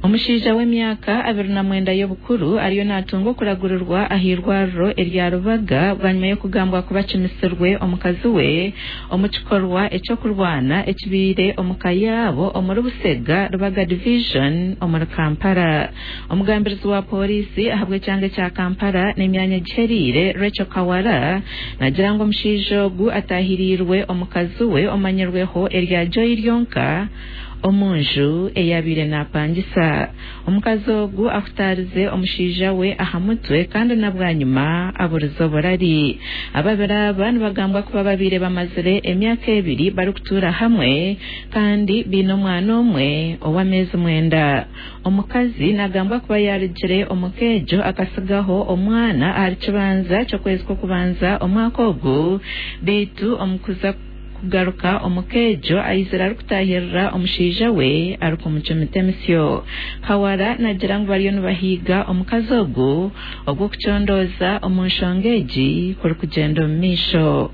Omushaija w'emyaka 29 y'obukuru ariyo natunga okuragurirwa ah'eirwariro erya Rubaga bwanyima y'okugambwa kuba akimisirwe omukazi we omu kikorwa eky'okurwana ekibaire omu ka yaabo omuri Busega, Rubaga Division omuri Kampala. Omugambirizi wa pooriisi ahabw'ekyanga ekya Kampala n'emyanya egihereire, Rachel Kawala nagira ngu omushaija ogu ataahiriirwe omukazi we omanyirweho erya Joy ryonka, omu nju ei abaire naapangisa. Omukazi ogu ahutaarize omushaija we aha mutwe kandi na bwanyima aburize oburari. Ababiri aba nibagambwa kuba babaire bamazire emyaka ebiri barikutuura hamwe kandi baine omwana omwe ow'ameezi mwenda. Omukazi nagambwa kuba yaarugire omu ka egyo akasigaho omwana ahari kibanza ky'okwezi kw'okubanza omwaka ogu beitu omu kuza Kugaruka omu ka egyo aizire arikutaahirira omushaija we arikumucumita emisyo. Kawala nagira ngu bariyo nibahiiga omukazi ogu ogw'okucondooza omu nshonga egi kurikugyenda omu maisho.